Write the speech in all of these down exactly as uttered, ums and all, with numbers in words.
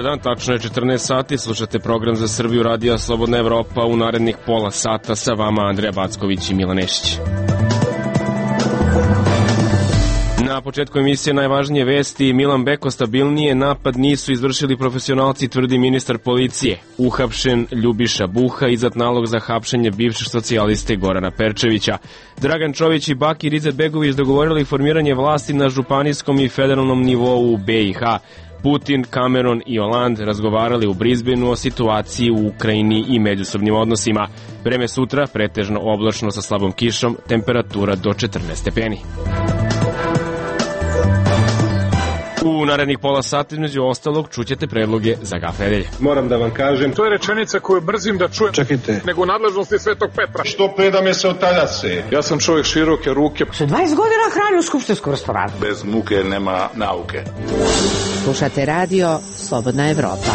dan, tačno je četrnaest sati, slušate program za Srbiju radija Slobodna Evropa. U narednih pola sata sa vama Andreja Backović i Milan Nešić. Na početku emisije najvažnije vesti. Milan Beko stabilnije, napad nisu izvršili profesionalci, tvrdi ministar policije. Uhapšen Ljubiša Buha, izdat nalog za hapšenje bivšeg socijaliste Gorana Perčevića. Dragan Čović i Bakir Izetbegović dogovorili formiranje vlasti na županijskom i federalnom nivou u B i H. Putin, Cameron i Hollande razgovarali u Brisbaneu o situaciji u Ukrajini i međusobnim odnosima. Vreme sutra pretežno oblačno sa slabom kišom, temperatura do četrnaest stepeni. U narednih pola sata, između ostalog, čućete predloge za Gaf nedelje. Moram da vam kažem, to je rečenica koju brzim da čujem. Čekajte. Nego u nadležnosti Svetog Petra. Što pre da me se otaljase? Ja sam čovjek široke ruke. Što dvadeset godina hrani u skupštinskom restoranu. Bez muke nema nauke. Slušate radio Slobodna Evropa.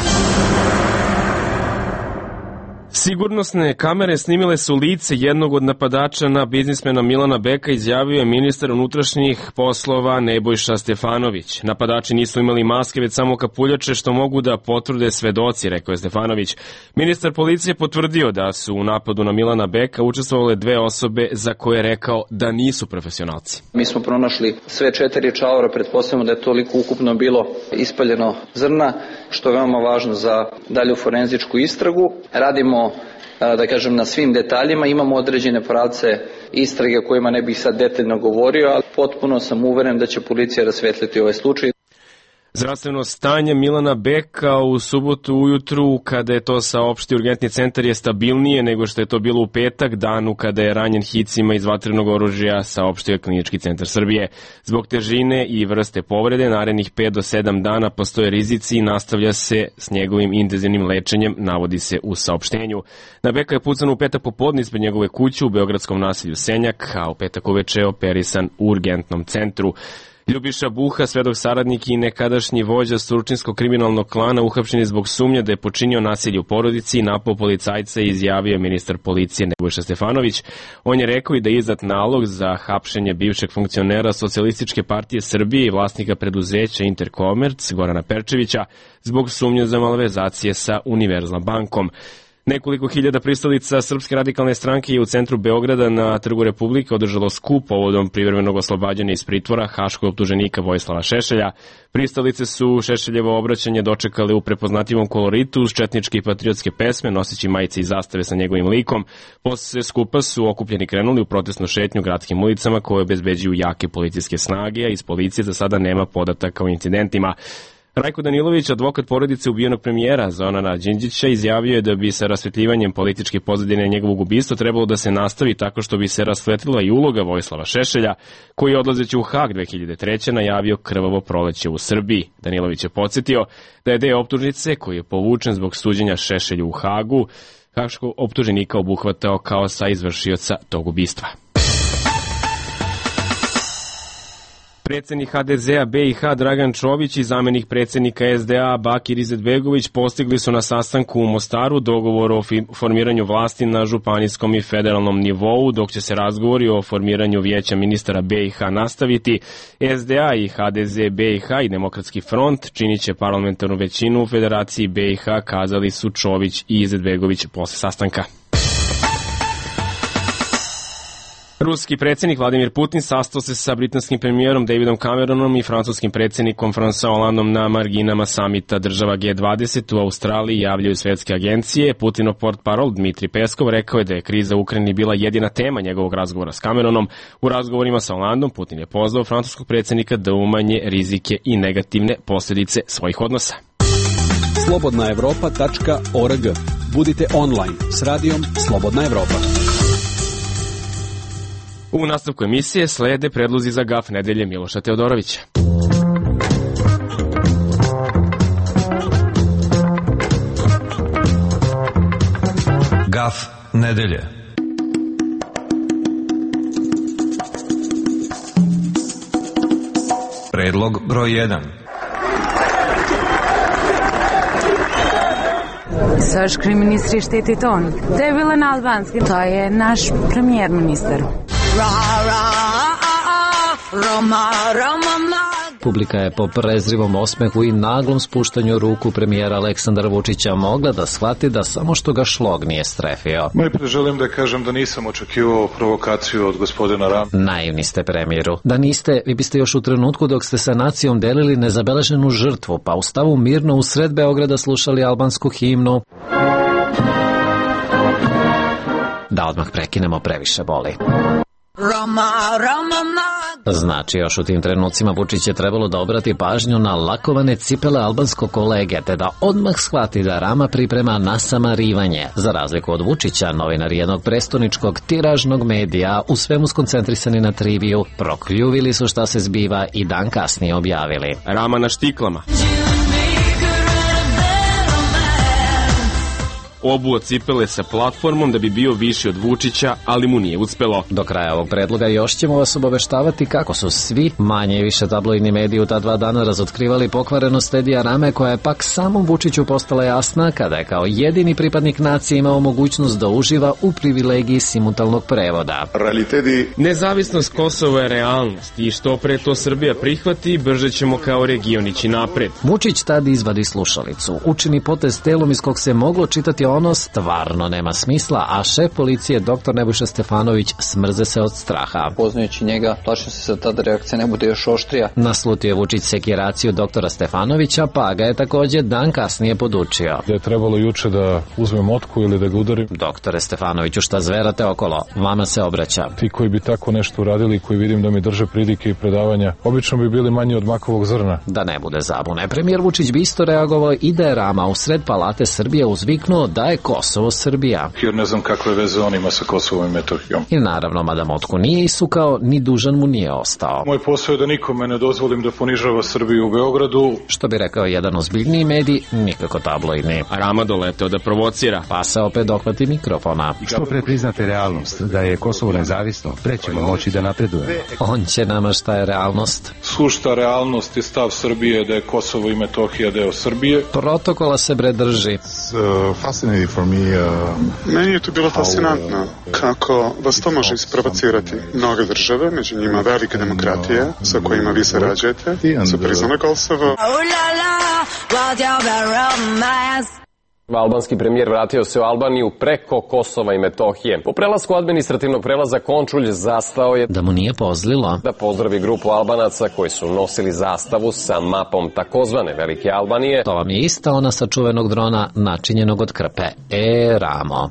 Sigurnosne kamere snimile su lice jednog od napadača na biznismena Milana Beka, izjavio je ministar unutrašnjih poslova Nebojša Stefanović. Napadači nisu imali maske, već samo kapuljače, što mogu da potvrde svedoci, rekao je Stefanović. Ministar policije potvrdio da su u napadu na Milana Beka učestvovale dve osobe za koje je rekao da nisu profesionalci. Mi smo pronašli sve četiri čaura, pretpostavljamo da je toliko ukupno bilo ispaljeno zrna, što je veoma važno za dalju forenzičku istragu. Radimo, da kažem, na svim detaljima, imamo određene pravce istrage o kojima ne bih sad detaljno govorio, ali potpuno sam uveren da će policija rasvetliti ovaj slučaj. Zdravstveno stanje Milana Beka u subotu ujutru, kada je to saopštio urgentni centar, je stabilnije nego što je to bilo u petak, danu kada je ranjen hicima iz vatrenog oružja, saopštio je Klinički centar Srbije. Zbog težine i vrste povrede, narednih pet do sedam dana postoje rizici i nastavlja se s njegovim intenzivnim lečenjem, navodi se u saopštenju. Na Beka je pucano u petak popodne ispred njegove kuće u beogradskom naselju Senjak, a u petak uveče je operisan u urgentnom centru. Ljubiša Buha, svedok saradnik i nekadašnji vođa stručinskog kriminalnog klana, uhapšen je zbog sumnje da je počinio nasilje u porodici i napao policajca, izjavio ministar policije Nebojša Stefanović. On je rekao i da je izdat nalog za hapšenje bivšeg funkcionera Socijalističke partije Srbije i vlasnika preduzeća Interkomerc Gorana Perčevića zbog sumnje za malverzacije sa Univerzal bankom. Nekoliko hiljada pristalica Srpske radikalne stranke je u centru Beograda na Trgu Republike održalo skup povodom privremenog oslobađanja iz pritvora haškog optuženika Vojislava Šešelja. Pristalice su Šešeljevo obraćanje dočekale u prepoznatljivom koloritu uz četničke i patriotske pesme, noseći majice i zastave sa njegovim likom. Posle skupa su okupljeni krenuli u protestnu šetnju gradskim ulicama koje obezbeđuju jake policijske snage, a iz policije za sada nema podataka o incidentima. Rajko Danilović, advokat porodice ubijenog premijera Zorana Đinđića, izjavio je da bi sa rasvetljivanjem političke pozadine njegovog ubistva trebalo da se nastavi tako što bi se rasvetlila i uloga Vojislava Šešelja, koji je odlazeći u Hag dve hiljade treće najavio krvavo proleće u Srbiji. Danilović je podsjetio da je deo optužnice koji je povučen zbog suđenja Šešelju u Hagu haškog optuženika obuhvatao kao sa izvršioca tog ubistva. Predsednik H D Z-a B i H Dragan Čović i zamenik predsednika S D A Bakir Izetbegović postigli su na sastanku u Mostaru dogovor o formiranju vlasti na županijskom i federalnom nivou, dok će se razgovori o formiranju vijeća ministara B i H nastaviti. S D A i H D Z B i H i Demokratski front činit će parlamentarnu većinu u Federaciji B i H, kazali su Čović i Izetbegović posle sastanka. Ruski predsjednik Vladimir Putin sastao se sa britanskim premijerom Davidom Cameronom i francuskim predsjednikom François Hollandom na marginama samita država G dvadeset u Australiji, javljaju svetske agencije. Putinov portparol Dmitri Peskov rekao je da je kriza u Ukrajini bila jedina tema njegovog razgovora s Cameronom. U razgovorima sa Hollandom Putin je pozvao francuskog predsjednika da umanje rizike i negativne posljedice svojih odnosa. slobodna evropa tačka org. Budite online s radijom Slobodna Evropa. U nastavku emisije slede predlozi za Gaf nedelje Miloša Teodorovića. Gaf nedelje. Predlog broj jedan. Srpski ministri štiti ton. To je bilo na albanski. To je naš premijer ministar. Ra, ra, a, a, Roma, Roma, Publika je po prezrivom osmehu i naglom spuštanju ruku premijera Aleksandra Vučića mogla da shvati da samo što ga šlog nije strefio. Najpre želim da kažem da nisam očekivao provokaciju od gospodina Rama. Naivni ste, premijeru. Da niste, vi biste još u trenutku dok ste sa nacijom delili nezabeleženu žrtvu, pa u stavu mirno u sred Beograda slušali albansku himnu. Da odmah prekinemo, previše boli. Rama, Rama, znači, još u tim trenucima Vučić je trebalo da obrati pažnju na lakovane cipele albanskog kolege, te da odmah shvati da Rama priprema nasamarivanje. Za razliku od Vučića, novinari jednog prestoničkog tiražnog medija, u svemu skoncentrisani na triviju, prokljuvili su šta se zbiva i dan kasnije objavili. Rama na štiklama. Obuo cipele sa platformom da bi bio viši od Vučića, ali mu nije uspelo. Do kraja ovog predloga još ćemo vas obaveštavati kako su svi manje i više tabloidni mediji u ta dva dana razotkrivali pokvarenost Edija Rame, koja je pak samom Vučiću postala jasna kada je kao jedini pripadnik nacije imao mogućnost da uživa u privilegiji simultanog prevoda. Realiteti... Nezavisnost Kosova je realnost i što pre to Srbija prihvati, brže ćemo kao region ići napred. Vučić tad izvadi slušalicu, učini potez telom iz kog se moglo čitati ono stvarno nema smisla, a šef policije doktor Nebojša Stefanović smrze se od straha. Poznajući njega, plašim se da tada reakcija ne bude još oštrija. Naslutio je Vučić sekiraciju doktora Stefanovića, pa ga je takođe dan kasnije podučio. Da je trebalo juče da uzmem motku ili da ga udarim. Doktore Stefanoviću, šta zverate okolo? Vama se obraća. Ti koji bi tako nešto uradili, koji vidim da mi drže pridike i predavanja, obično bi bili manji od makovog zrna. Da ne bude zabune, premijer Vučić bi isto reagovao i da je Rama u sred Palate Srbije uzviknuo da je Kosovo Srbija. Jer ne znam kakve veze on ima sa Kosovom i Metohijom. I naravno, mada motku nije isukao, ni dužan mu nije ostao. Moj posao je da nikome ne dozvolim da ponižava Srbiju u Beogradu. Što bi rekao jedan ozbiljniji medij, nikako tabloidni. Rama doleteo da provocira. Pa se opet dohvati mikrofona. Što pre priznate realnost da je Kosovo nezavisno, pre ćemo moći da napredujemo. On će nama šta je realnost. Sušta realnost je stav Srbije da je Kosovo i Metohija deo Srbije. Protokola se bre drži. For me, uh, Meni je to bilo fascinantno kako vas to može isprovocirati. Mnoge države, među njima velike demokratije sa kojima vi sarađujete, su priznale Kosovo. Albanski premijer vratio se u Albaniju preko Kosova i Metohije. Po prelasku administrativnog prelaza Končulj zastao je da mu nije pozlilo da pozdravi grupu Albanaca koji su nosili zastavu sa mapom takozvane Velike Albanije. To vam je ista ona sa čuvenog drona načinjenog od krpe. E, Ramo.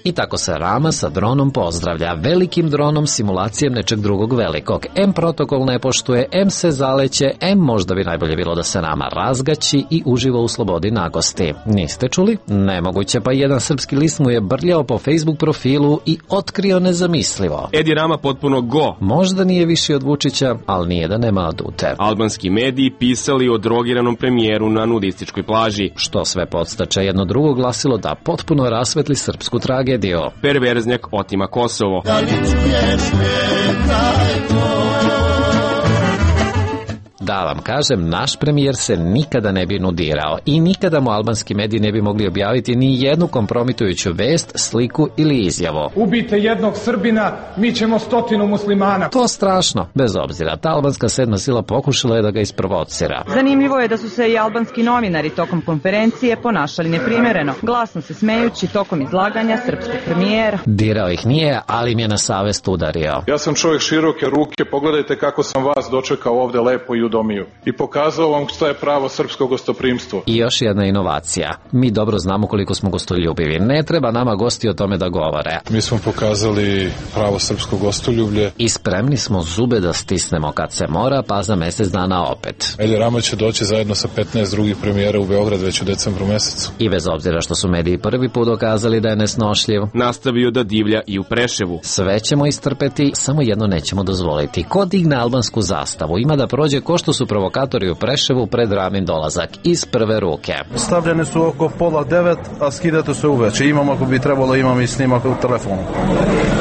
I tako se Rama sa dronom pozdravlja, velikim dronom, simulacijom nečeg drugog velikog. M protokol ne poštuje, M se zaleće, M možda bi najbolje bilo da se Rama razgaći i uživa u slobodi nagosti. Niste čuli? Nemoguće, pa jedan srpski list mu je brljao po Facebook profilu i otkrio nezamislivo. Edi Rama potpuno go. Možda nije viši od Vučića, ali nije da nema adute. Albanski mediji pisali o drogiranom premijeru na nudističkoj plaži. Što sve podstače jedno drugo glasilo da potpuno rasvetli srpsku tragediju. Perverznjak otima Kosovo. Da li čuješ me, tajno? Da vam kažem, naš premijer se nikada ne bi nudirao i nikada mu albanski mediji ne bi mogli objaviti ni jednu kompromitujuću vest, sliku ili izjavu. Ubijte jednog Srbina, mi ćemo stotinu muslimana. To strašno. Bez obzira, ta albanska sedma sila pokušala je da ga isprovocira. Zanimljivo je da su se i albanski novinari tokom konferencije ponašali neprimereno, glasno se smejući tokom izlaganja srpskog premijera. Dirao ih nije, ali im je na savest udario. Ja sam čovjek široke ruke, pogledajte kako sam vas dočekao ovde lepo i udomio i pokazao vam šta je pravo srpsko gostoprimstvo. I još jedna inovacija. Mi dobro znamo koliko smo gostoljubivi. Ne treba nama gosti o tome da govore. Mi smo pokazali pravo srpsko gostoljublje. I spremni smo zube da stisnemo kad se mora, pa za mesec dana opet. Edi Rama će doći zajedno sa petnaest drugih premijera u Beograd već u decembru mesecu. I bez obzira što su mediji prvi put dokazali da je nesnošljiv, nastavio da divlja i u Preševu. Sve ćemo istrpeti, samo jedno nećemo dozvoliti. Ko digne albansku zastavu ima da prođe ko što zašto su provokatori u Preševu pred Ramin dolazak iz prve ruke. Stavljene su oko pola devet, a skidate se uveče. Imam, ako bi trebalo, imam i snimak u telefonu.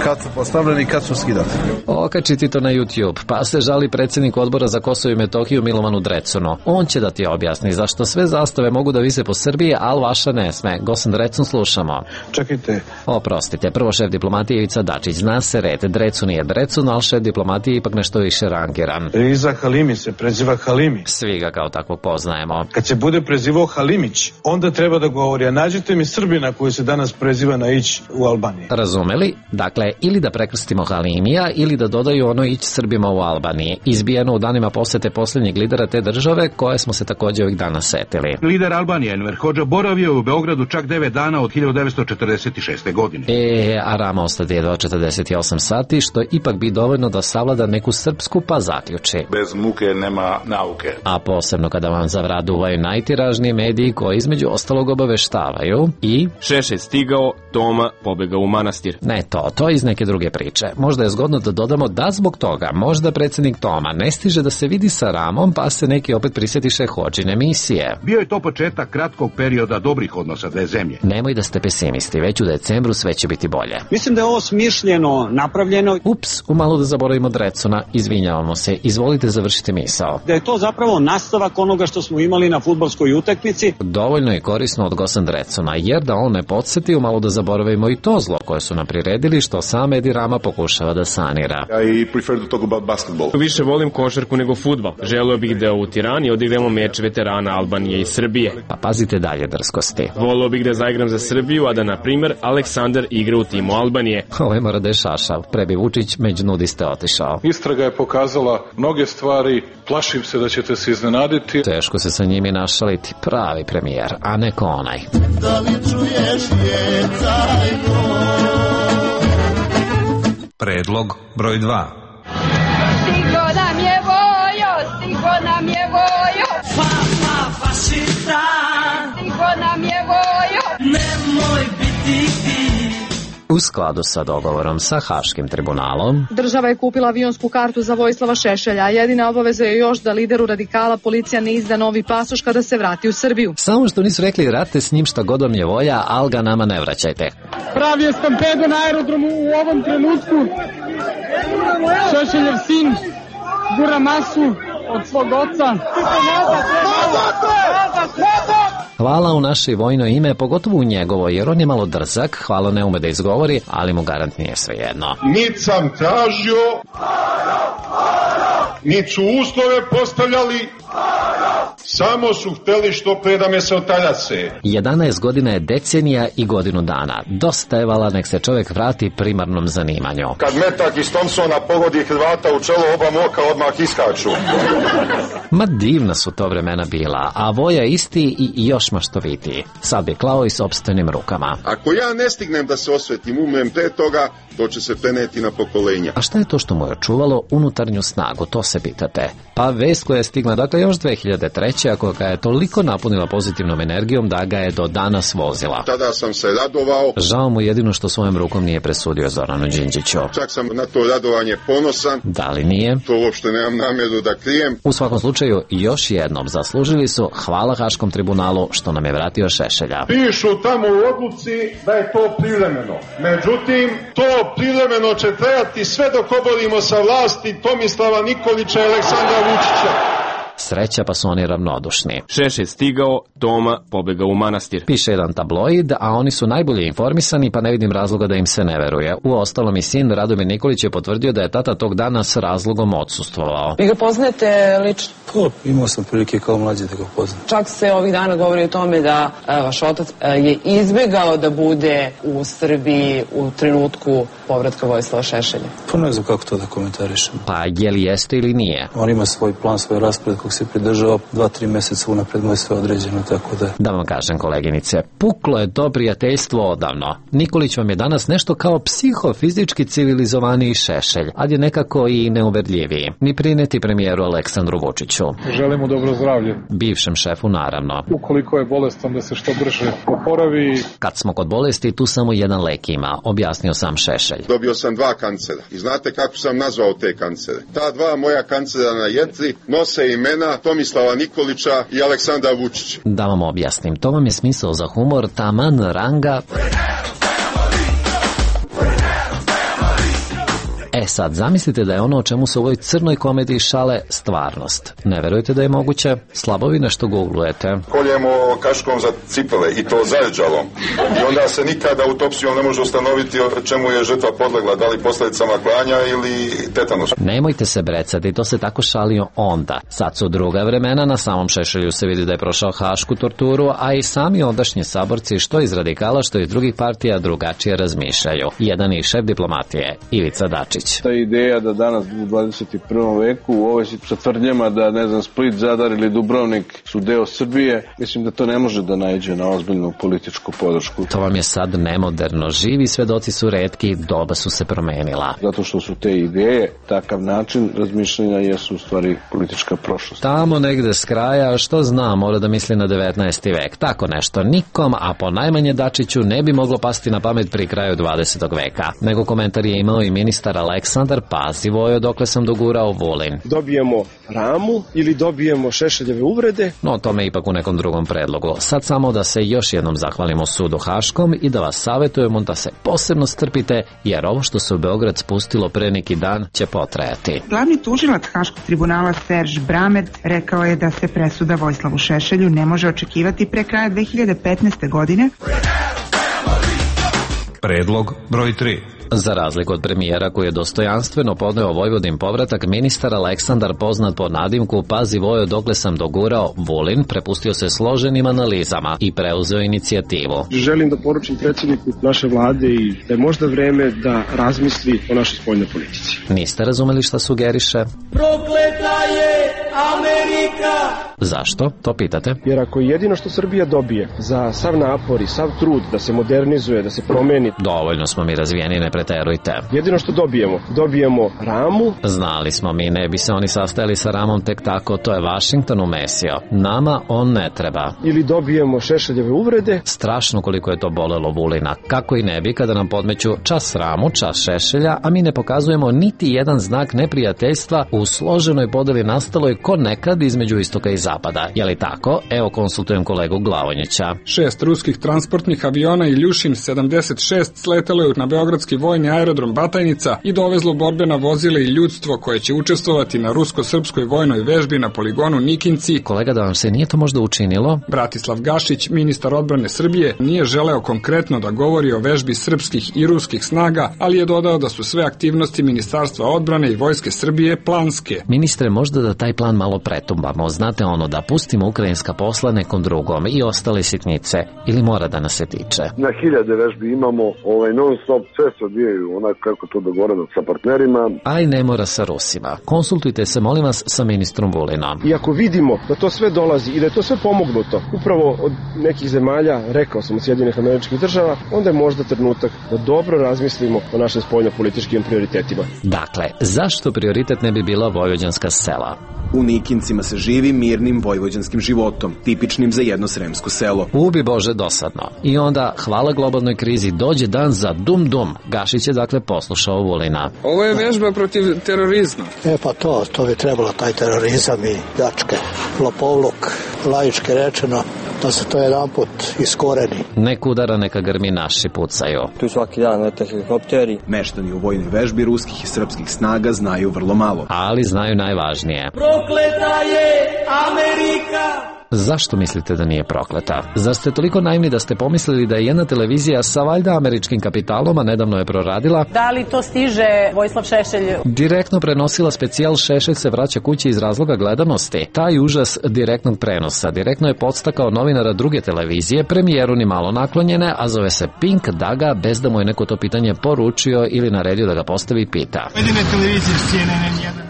Kad su postavljeni, kad su skidati. Okačiti to na YouTube, pa se žali predsjednik odbora za Kosovo i Metohiju Milovanu Drecunu. On će da ti objasni zašto sve zastave mogu da vise po Srbiji, ali vaša ne sme. Gosan Drecun, slušamo. Čekajte. Oprostite, prvo šef diplomatije Ivica Dačić. Zna se red, Drecun je Drecun, ali šef diplomatije ipak nešto više rangiran. Riza Halimi se preziva Halimi. Svi ga kao takvog poznajemo. Kad se bude prezivao Halimić, onda treba da govori, a nađite mi Srbina koji se danas preziva na Ić u Albaniji. Razumeli? Dakle, ili da prekrstimo Halimija, ili da dodaju ono Ić Srbima u Albaniji. Izbijeno u danima posete posljednjeg lidera te države, koje smo se također ovih dana setili. Lider Albanije Enver Hodža boravio u Beogradu čak devet dana od hiljadu devetsto četrdeset šeste. godine. E, a Rama ostade jedva četrdeset osam sati, što ipak bi dovoljno da savlada neku srpsku pa zaključi. Bez muke nema nauke. A posebno kada vam zavraduvaju najtiražniji mediji koji između ostalog obaveštavaju i... Šešelj stigao, Toma pobegao u manastir. Ne to, to je iz neke druge priče. Možda je zgodno da dodamo da zbog toga možda predsjednik Toma ne stiže da se vidi sa Ramom, pa se neki opet prisjetiše Hodžine misije. Bio je to početak kratkog perioda dobrih odnosa dve zemlje. Nemoj da ste pesimisti, već u decembru sve će biti bolje. Mislim da je ovo smišljeno, napravljeno. Ups, umalo da zaboravimo Drecuna, izvinjavamo se, izvolite završiti misao. Da je to zapravo nastavak onoga što smo imali na fudbalskoj utakmici. Dovoljno je korisno od Gosan Drecuna, jer da on ne podsjeti, umalo da zaboravimo i to zlo koje su nam priredili, što sam Edi Rama pokušava da sanira. I prefer to talk about basketball. Više volim košarku nego fudbal. Želeo bih da u Tirani odigramo meč veterana Albanije i Srbije. Pa pazite dalje drskosti. Voleo bih da zaigram za Srbiju, a da, na primjer, Aleksandar igra u timu Albanije. Ovo je mora da je šašav. Prebi Vučić među nudiste otišao. Istraga je pokazala mnoge stvari, plašim se da ćete se iznenaditi. Teško se sa njimi našaliti. Pravi premijer, a neko onaj. Da li čuješ je tajno? Predlog broj dva. Stigo nam je vojo, stigo nam je vojo. Fa, fa, fašista. Stigo nam je vojo. Nemoj biti ti. U skladu sa dogovorom sa Haškim tribunalom, država je kupila avionsku kartu za Vojislava Šešelja, a jedina obaveza je još da lideru radikala policija ne izda novi pasoš kada se vrati u Srbiju. Samo što nisu rekli rate s njim šta god vam je volja, al ga nama ne vraćajte. Pravi je stampedo na aerodromu u ovom trenutku. Šešeljev sin gura masu od svog oca. Hvala u naše vojno ime, pogotovo u njegovo, jer on je malo drzak, hvala ne ume da izgovori, ali mu garant nije svejedno. Nit sam tražio, nit su uslove postavljali, samo su hteli što pre da me se otaljase. jedanaest godina je decenija i godinu dana. Dosta je vala, nek se čovjek vrati primarnom zanimanju. Kad metak iz Thompsona pogodi Hrvata u čelo, oba moka odmah iskaču. Ma divna su to vremena bila, a voja isti i još maštovitiji. Sad bi klao i sopstvenim rukama. Ako ja ne stignem da se osvetim, umrem pre toga, to će se preneti na pokolenja. A šta je to što mu je čuvalo unutarnju snagu, to se pitate? Pa vest koja je stigla, dakle, još dve hiljade treće. Koja ga je toliko napunila pozitivnom energijom da ga je do danas vozila. Tada sam se radovao. Žao mu jedino što svojom rukom nije presudio Zoranu Đinđiću. Čak sam na to radovanje ponosan. Da li nije? To uopšte nemam namjeru da krijem. U svakom slučaju, još jednom zaslužili su hvala Haškom tribunalu što nam je vratio Šešelja. Pišu tamo u odluci da je to privremeno. Međutim, to privremeno će trajati sve dok oborimo sa vlasti Tomislava Nikolića i Aleksandra Vučića. Sreća pa su oni ravnodušni. Šešelj stigao, Toma pobegao u manastir. Piše jedan tabloid, a oni su najbolje informisani, pa ne vidim razloga da im se ne veruje. U ostalom i sin Radomir Nikolić je potvrdio da je tata tog dana s razlogom odsustvovao. Vi ga poznajete lično? Pa, imao sam prilike kao mlađe da ga poznam. Čak se ovih dana govori o tome da a, vaš otac a, je izbjegao da bude u Srbiji u trenutku povratka Vojislava Šešelja. Pa ne znam kako to da komentarišem. Pa je li jeste ili nije? On ima svoj plan, svoj raspored kog se pridržava, dva, tri mjeseca unapred mu je sve određeno, tako da... Da vam kažem, koleginice, puklo je to prijateljstvo odavno. Nikolić vam je danas nešto kao psihofizički civilizovaniji Šešelj, ali je nekako i neuverljiviji. Ni prineti premijeru Aleksandru Vučiću. Želimo dobro zdravlje. Bivšem šefu, naravno. Ukoliko je bolestan, da se što brže oporavi. Kad smo kod bolesti, tu samo jedan lek ima, objasnio sam Šešelj. Dobio sam dva kancera i znate kako sam nazvao te kancere? Ta dva moja kancera na jetri nose imena vremena Tomislava Nikolića i Aleksandra Vučića. Da vam objasnim, to vam je smisao za humor taman ranga. E sad, zamislite da je ono o čemu se u ovoj crnoj komediji šale stvarnost. Ne verujete da je moguće? Slabo vi nešto googlujete. Koljemo kaškom za cipele i to zajeđalom. I onda se nikada autopsijom ne može ustanoviti o čemu je žrtva podlegla, da li posljedicama klanja ili tetanus. Nemojte se brecati, to se tako šalio onda. Sad su druga vremena, na samom Šešelju se vidi da je prošao hašku torturu, a i sami ondašnji saborci, što iz radikala, što iz drugih partija, drugačije razmišljaju. Jedan je šef diplomatije, Ivica Dačić. Ta ideja da danas u dvadeset i prvom veku u ovoj sa tvrdnjama da, ne znam, Split, Zadar ili Dubrovnik su deo Srbije, mislim da to ne može da naiđe na ozbiljnu političku podršku. To vam je sad nemoderno. Živi svedoci su retki, doba su se promenila. Zato što su te ideje, takav način razmišljanja jesu u stvari politička prošlost. Tamo negde s kraja, što zna, mora da misli na devetnaesti vek. Tako nešto nikom, a po najmanje Dačiću ne bi moglo pasti na pamet pri kraju dvadesetog veka. Nego komentar je imao i ministar Aleksandar, pazi Vojo dokle sam dogurao Vulin. Dobijemo Ramu ili dobijemo Šešeljeve uvrede? No, to me ipak u nekom drugom predlogu. Sad samo da se još jednom zahvalimo sudu Haškom i da vas savjetujemo da se posebno strpite, jer ovo što se u Beograd spustilo pre neki dan će potrajati. Glavni tužilac Haškog tribunala Serž Bramed rekao je da se presuda Vojislavu Šešelju ne može očekivati pre kraja dve hiljade petnaeste. godine. Predlog broj tri. Za razliku od premijera koji je dostojanstveno podneo Vojvodin povratak, ministar Aleksandar, poznat po nadimku Pazi Vojo dokle sam dogurao Vulin, prepustio se složenim analizama i preuzeo inicijativu. Želim da poručim predsjedniku naše vlade i da je možda vreme da razmisli o našoj spoljnoj politici. Niste razumeli šta sugeriše? Prokleta je Amerika! Zašto? To pitate? Jer ako jedino što Srbija dobije za sav napor i sav trud da se modernizuje, da se promeni... Dovoljno smo mi razvijeni, ne preterujte. Jedino što dobijemo, dobijemo Ramu. Znali smo mi, ne bi se oni sastajali sa Ramom tek tako, to je Vašington umesio. Nama on ne treba. Ili dobijemo Šešeljeve uvrede. Strašno koliko je to bolelo Vulina. Kako i ne bi kada nam podmeću čas Ramu, čas Šešelja, a mi ne pokazujemo niti jedan znak neprijateljstva u složenoj podeli nastaloj ko nekad između istoka i zapada. Je li tako? Evo konsultujem kolegu Glavonjića. Šest ruskih transportnih aviona Iljušin sedamdeset šest sletelo je na beogradski vojni aerodrom Batajnica i dovezlo borbena vozila i ljudstvo koje će učestvovati na rusko-srpskoj vojnoj vežbi na poligonu Nikinci. Kolega, da vam se nije to možda učinilo? Bratislav Gašić, ministar odbrane Srbije, nije želeo konkretno da govori o vežbi srpskih i ruskih snaga, ali je dodao da su sve aktivnosti Ministarstva odbrane i Vojske Srbije planske. Ministre, možda da taj plan malo pretumbamo, znate ono, da pustimo ukrajinska posla nekom drugom i ostale sitnice, ili mora da nas se tiče? Na hiljade vežbi imamo, ovaj non stop, sve se odvijaju onako kako to dogovoreno sa partnerima. Aj ne mora sa Rusima. Konsultujte se, molim vas, sa ministrom Vulinom. I ako vidimo da to sve dolazi i da je to sve pomognuto upravo od nekih zemalja, rekao sam od Sjedinjenih Američkih Država, onda je možda trenutak da dobro razmislimo o našim spoljnopolitičkim prioritetima. Dakle, zašto prioritet ne bi bila vojvođanska sela? U Nikincima se živi mirnim vojvođanskim životom, tipičnim za jedno sremsko selo. Ubi Bože dosadno. I onda, hvala globalnoj krizi, dođe dan za dum-dum. Gašić je dakle poslušao Vulina. Ovo je vežba protiv terorizma. E pa to, to bi trebalo, taj terorizam i pljačke, lopovluk, laički rečeno, da se to jedan put iskoreni. Nek udara, neka grmi, naši pucaju. Tu svaki dan lete helikopteri. Meštani u vojnoj vežbi ruskih i srpskih snaga znaju vrlo malo. Ali znaju najvažnije. Prokleta je Amerika! Zašto mislite da nije prokleta? Zar ste toliko naivni da ste pomislili da je jedna televizija sa valjda američkim kapitalom, a nedavno je proradila? Da li to stiže Vojislav Šešelj? Direktno prenosila specijal Šešelj se vraća kući iz razloga gledanosti. Taj užas direktnog prenosa direktno je podstakao novinara druge televizije, premijeru ni malo naklonjene, a zove se Pink, da ga, bez da mu je neko to pitanje poručio ili naredio da ga postavi, pita.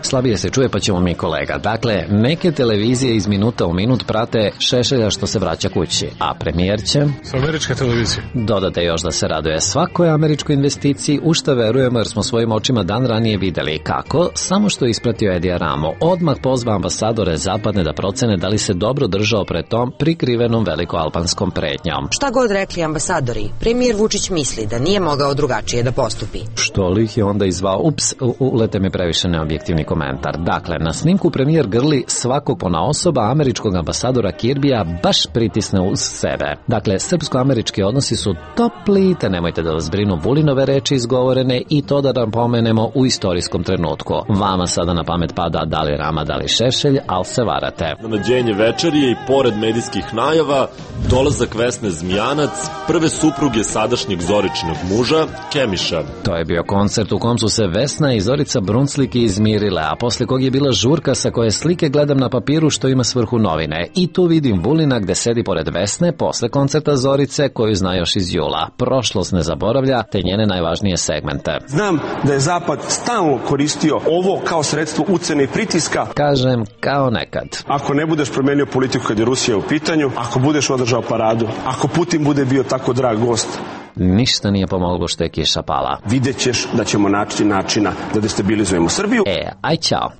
Slabije se čuje, pa ćemo mi, kolega. Dakle, neke televizije iz minuta u minut prate plate Šešelja što se vraća kući, a premijer će s američke televizije. Dodate još da se raduje svakoj američkoj investiciji, u što verujemo jer smo svojim očima dan ranije videli kako, samo što je ispratio Edija Ramo, odmah pozva ambasadore zapadne da procene da li se dobro držao pred tom prikrivenom velikoalbanskom pretnjom. Šta god rekli ambasadori, premijer Vučić misli da nije mogao drugačije da postupi. Što li ih je onda izvao? Ups, ulete mi previše neobjektivni komentar. Dakle, na snimku premijer grli svakog ponaosoba američkog ambasadora Kirbija baš pritisne uz sebe. Dakle, srpsko-američki odnosi su topli, te nemojte da vas brinu Vulinove reči izgovorene i to da nam pomenemo u istorijskom trenutku. Vama sada na pamet pada da li Rama, da li Šešelj, ali se varate. Nađenje večerije i pored medijskih najava, dolazak Vesne Zmijanac, prve supruge sadašnjeg Zoričinog muža, Kemiša. To je bio koncert u kom su se Vesna i Zorica Bruncliki izmirile, a posle kog je bila žurka sa koje slike gledam na papiru što ima svrhu novine. I tu vidim Vulina gde sedi pored Vesne posle koncerta Zorice koju zna još iz jula. Prošlost ne zaboravlja, te njene najvažnije segmente. Znam da je Zapad stalno koristio ovo kao sredstvo ucene i pritiska. Kažem, kao nekad. Ako ne budeš promenio politiku kad je Rusija u pitanju, ako budeš održao paradu, ako Putin bude bio tako drag gost, ništa nije pomoglo što je kiša pala. Vidjet ćeš da ćemo naći načina da destabilizujemo Srbiju. E, aj ćao.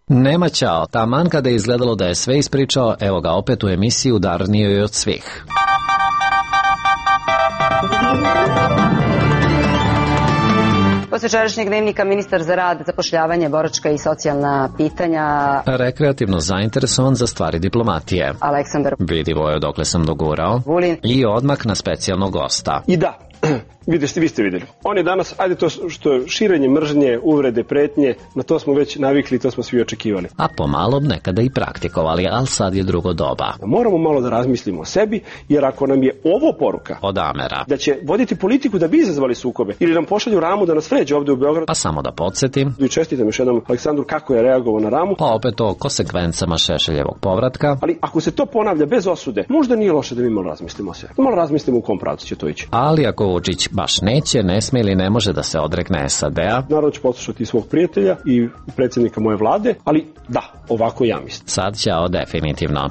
Nema ćao, taman kada je izgledalo da je sve ispričao, evo ga opet u emisiji udarnijoj od svih. Posle čarašnjeg dnevnika ministar za rad, zapošljavanje, boračka i socijalna pitanja. Rekreativno zainteresovan za stvari diplomatije. Aleksandar. Vidimo je odakle sam dogurao. Vulin. I odmak na specijalnog gosta. I da, vidite, vi ste vidjeli. On je danas, ajde to što je širenje mržnje, uvrede, pretnje, na to smo već navikli, to smo svi očekivali. A pomalo nekada i praktikovali, ali sad je drugo doba. Moramo malo da razmislimo o sebi, jer ako nam je ovo poruka od Amera da će voditi politiku da bi izazvali sukobe, ili nam pošalju Ramu da nas vređe ovde u Beogradu. Pa samo da podsjetim. I čestitam još jednom Aleksandru kako je reagovao na Ramu. Pa opet o konsekvencama Šešeljevog povratka. Ali ako se to ponavlja bez osude, možda nije loše da mi malo razmislimo o sebi. Malo razmislimo u kom pravcu će to ići. Ali ako Vučić baš neće, ne sme ili ne može da se odrekne S A D-a. Naravno ću poslušati svog prijatelja i predsjednika moje vlade, ali da, ovako ja mislim. Sad ćao definitivno.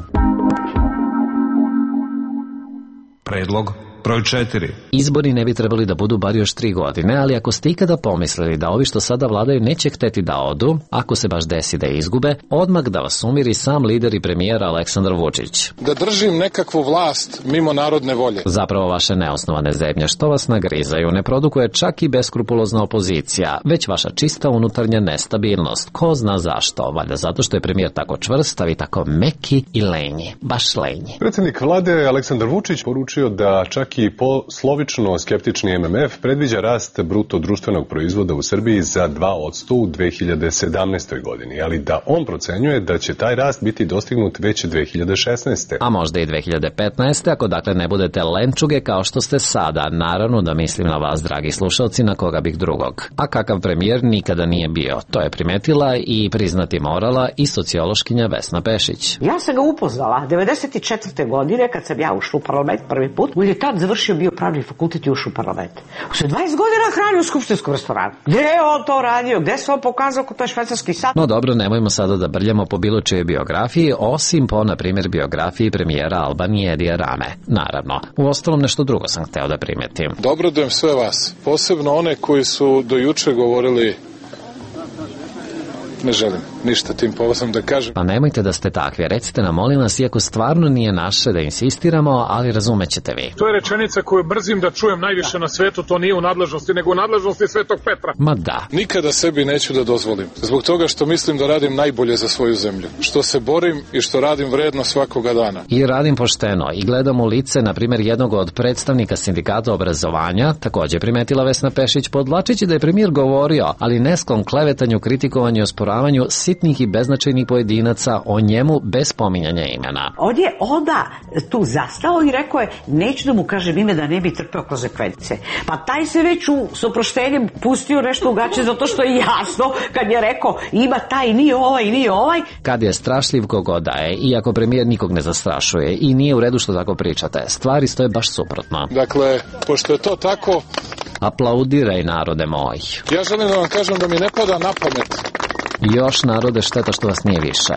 Predlog broj četiri. Izbori ne bi trebali da budu bar još tri godine, ali ako ste ikada pomislili da ovi što sada vladaju neće hteti da odu, ako se baš desi da izgube, odmah da vas umiri sam lider i premijer Aleksandar Vučić. Da držim nekakvu vlast mimo narodne volje. Zapravo vaše neosnovane zebnje što vas nagrizaju ne produkuje čak i beskrupulozna opozicija, već vaša čista unutarnja nestabilnost. Ko zna zašto? Valjda zato što je premijer tako čvrst, a vi tako meki i lenji. Baš lenji. Predsjednik vlade Aleksandar Vučić poručio da čak i poslovično skeptični M M F predviđa rast bruto društvenog proizvoda u Srbiji za dva posto u dve hiljade sedamnaestoj godini, ali da on procenjuje da će taj rast biti dostignut već dve hiljade šesnaeste. A možda i dve hiljade petnaeste ako dakle ne budete lenčuge kao što ste sada. Naravno da mislim na vas, dragi slušalci, na koga bih drugog. A kakav premijer nikada nije bio. To je primetila i priznati morala i sociološkinja Vesna Pešić. Ja sam ga upoznala devedeset četvrte godine kad sam ja ušla u parlament prvi put. On je tad završio bio pravni fakultet i ušao u parlament. Sve dvadeset godina hranio u skupštinskom restoranu. Gde je on to radio? Gde se on pokazao kod taj švajcarski sad? No dobro, nemojmo sada da brljamo po bilo čije biografiji, osim po, na primjer, biografiji premijera Albanije Edija Rame. Naravno. U ostalom nešto drugo sam hteo da primetim. Dobrodujem sve vas. Posebno one koji su do juče govorili ne želim ništa tim povodom da kažem. Pa nemojte da ste takvi, recite nam molim vas, iako stvarno nije naše da insistiramo, ali razumećete vi. To je rečenica koju brzim da čujem najviše na svetu, to nije u nadležnosti, nego u nadležnosti Svetog Petra. Ma da. Nikada sebi neću da dozvolim, zbog toga što mislim da radim najbolje za svoju zemlju, što se borim i što radim vredno svakoga dana. I radim pošteno i gledam u lice, na primjer, jednog od predstavnika sindikata obrazovanja, takođe primetila Vesna Pešić, podvlačići da je premijer govorio, ali nesklon klevetanju, kritikovanju i osporavanju sitnih i beznačajnih pojedinaca o njemu bez pominjanja imena. On je onda tu zastao i rekao je, neću da mu kažem ime da ne bi trpeo konsekvence. Pa taj se već u s oproštenjem pustio nešto u gaće zato što je jasno kad je rekao ima taj, nije ovaj, nije ovaj. Kad je strašljiv kogo da je, iako premijer nikog ne zastrašuje i nije u redu što tako pričate, stvari stoje baš suprotno. Dakle, pošto je to tako... Aplaudiraj, narode moj. Ja želim da vam kažem da mi ne pada na pamet. Još, narode, šteta što vas nije više.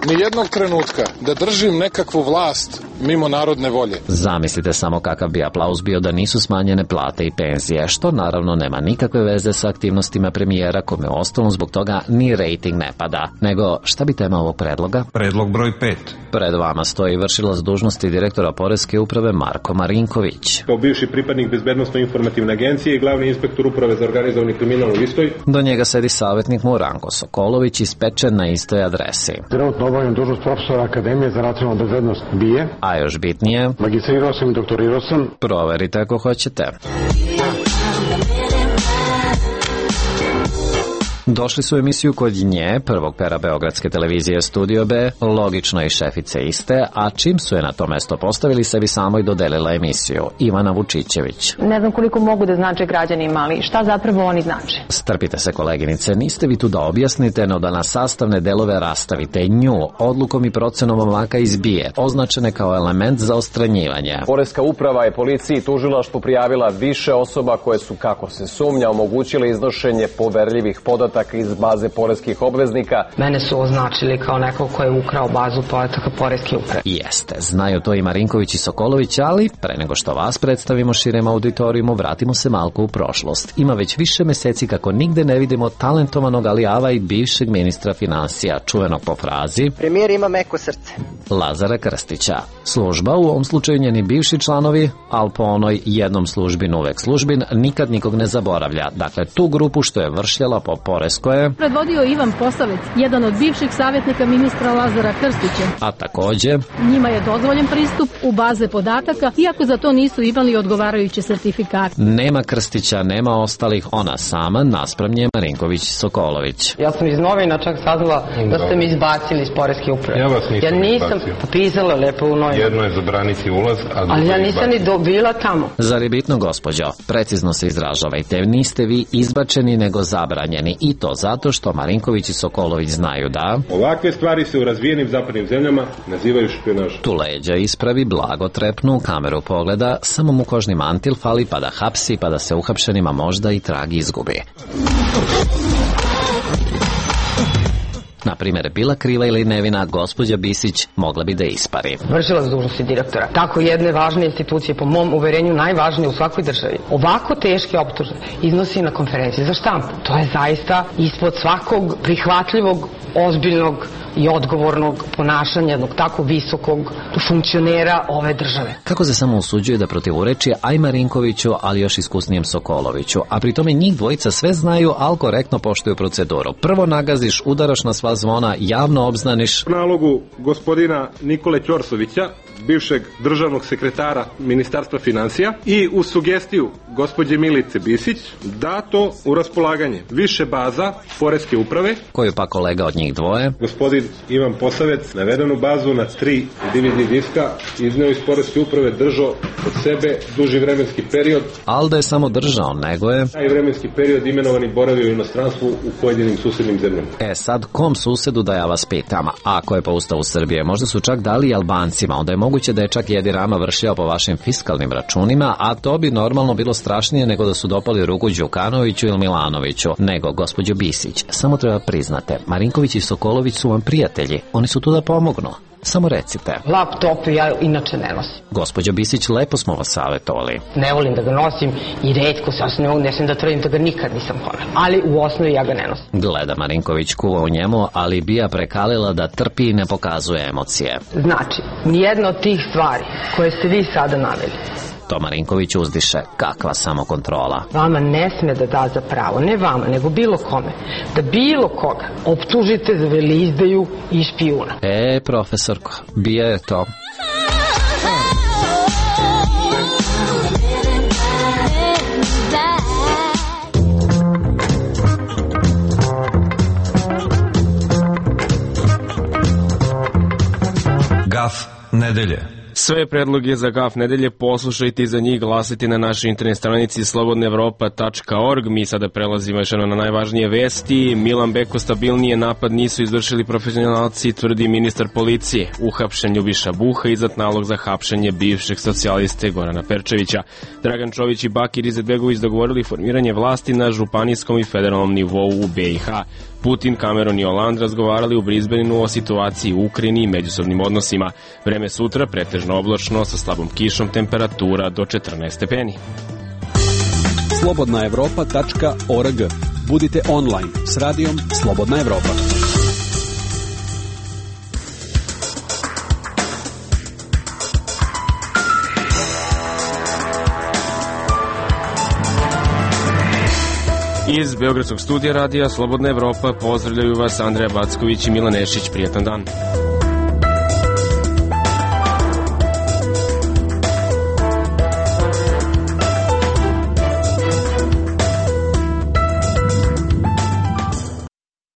ni jednog trenutka da držim nekakvu vlast mimo narodne volje. Zamislite samo kakav bi aplauz bio da nisu smanjene plate i penzije, što naravno nema nikakve veze sa aktivnostima premijera, kome ostalom zbog toga ni rejting ne pada. Nego, šta bi tema ovog predloga? Predlog broj pet. Pred vama stoji vršilac dužnosti direktora Poreske uprave Marko Marinković. Kao bivši pripadnik Bezbednosno-informativne agencije i glavni inspektor uprave za organizovani kriminal u istoj. Do njega sedi savjetnik mu Ranko Sokolović, ispečen na istoj adresi. Trenutno obavljam dužnost profesora Akademije za nacionalnu bezbednost B I E. A još bitnije, magistrirao sam i doktorirao sam. Proverite ako hoćete. Došli su u emisiju kod nje, prvog pera Beogradske televizije Studio B, logično i šefice iste, a čim su je na to mesto postavili, sebi samo i dodelila emisiju, Ivana Vučićević. Ne znam koliko mogu da znače građanima, ali šta zapravo oni znače? Strpite se, koleginice, niste vi tu da objasnite, no da na sastavne delove rastavite nju, odlukom i procenom omaka izbije, označene kao element za ostranjivanje. Poreska uprava je policiji i tužilaštvu prijavila više osoba koje su, kako se sumnja, omogućile iznošenje poverljivih podataka iz baze poreskih obveznika. Mene su označili kao neko ko je ukrao bazu podataka Poreske uprave. Jeste, znaju to i Marinković i Sokolović, ali pre nego što vas predstavimo širem auditorijumu, vratimo se malko u prošlost. Ima već više meseci kako nigde ne vidimo talentovanog alijava i bivšeg ministra finansija, čuvenog po frazi premijer ima meko srce, Lazara Krstića. Služba, u ovom slučaju njeni bivši članovi, ali po onoj jednom službin uvek službin, nikad nikog ne zaboravlja. Dakle, tu grupu što je vršljala po Poresko je predvodio Ivan Posavec, jedan od bivših savjetnika ministra Lazara Krstića. A takođe, njima je dozvoljen pristup u baze podataka, iako za to nisu imali odgovarajuće sertifikate. Nema Krstića, nema ostalih, ona sama, naspram nje Marinković i Sokolović. Ja sam iz novina čak saznala da ste mi izbacili iz Poreske uprave. Ja vas nisam, ja nisam pisala lepo u novinu. Jedno je zabraniti ulaz, a ali ja nisam ni dobila tamo. Zar je bitno, gospođo? Precizno se izražavajte, niste vi izbačeni nego zabranjeni, i to zato što Marinković i Sokolović znaju da ovakve stvari se u razvijenim zapadnim zemljama nazivaju špijunažom. Tu leđa ispravi, blago trepnu, u kameru pogleda, samo mu kožni mantil fali pa da hapsi, pa da se uhapšenima možda i trag izgubi. Na primjer, bila kriva ili nevina, gospođa Bisić mogla bi da ispari. Vršilac dužnosti direktora tako jedne važne institucije, po mom uverenju najvažnije u svakoj državi, ovako teške optužbe iznosi na konferenciji za štampu. To je zaista ispod svakog prihvatljivog, ozbiljnog i odgovornog ponašanja jednog tako visokog funkcionera ove države. Kako se samo usuđuje da protivureči aj Marinkoviću, ali još iskusnijem Sokoloviću, a pri tome njih dvojica sve znaju, ali korektno poštuju proceduru. Prvo nagaziš, udaraš na sva zvona, javno obznaniš. U nalogu gospodina Nikole Ćorsovića, bivšeg državnog sekretara Ministarstva financija, i u sugestiju gospođe Milice Bisić dato u raspolaganje više baza Poreske uprave, koju pa kolega od njih dvoje, gospodin Ivan Posavec, navedenu bazu na tri D V D diska izneo iz Poreske uprave, držao od sebe duži vremenski period. Ali da je samo držao, nego je taj vremenski period imenovani boravio u inostranstvu u pojedinim susednim zemljama. E sad, kom susedu da ja vas pitam? Ako je po ustavu Srbije, možda su čak dali i Albancima, onda je moguće da je čak Edi Rama vršio po vašim fiskalnim računima, a to bi normalno bilo strašnije nego da su dopali ruku Đukanoviću ili Milanoviću. Nego, gospođo Bisić, samo treba priznate, Marinković i Sokolović su vam prijatelji, oni su tu da pomognu. Samo recite. Laptop ja inače ne nosim. Gospođo Bisić, lepo smo vas savjetovali. Ne volim da ga nosim i retko se, ja ne smijem da tvrdim da ga nikad nisam ponela. Ali u osnovi ja ga ne nosim. Gleda Marinković kuva u njemu, ali bija prekalila da trpi i ne pokazuje emocije. Znači, nijedna od tih stvari koje ste vi sada naveli. To Marinković uzdiše. Kakva samokontrola. Vama ne sme da da za pravo, ne vama, nego bilo kome, da bilo koga optužite za veleizdaju i špijuna. E, profesorko, bija je to. Gaf nedelje. Sve predloge za Gaf nedelje poslušajte i za njih glasite na našoj internet stranici slobodna evropa tačka org. Mi sada prelazimo još na najvažnije vesti. Milan Beko stabilnije napad nisu izvršili profesionalci, tvrdi ministar policije. Uhapšen Ljubiša Buha, izdat nalog za hapšenje bivšeg socijaliste Gorana Perčevića. Dragan Čović i Bakir Izetbegović dogovorili formiranje vlasti na županijskom i federalnom nivou u B i H. Putin, Cameron i Hollande razgovarali u Brisbaneu o situaciji u Ukrajini i međusobnim odnosima. Vreme sutra pretežno oblačno sa slabom kišom, temperatura do četrnaest stepeni. slobodna evropa tačka org. Budite online s radijom Slobodna Evropa. Iz Beogradskog studija radija Slobodna Evropa pozdravljaju vas Andreja Backović i Milan Nešić. Prijetan dan.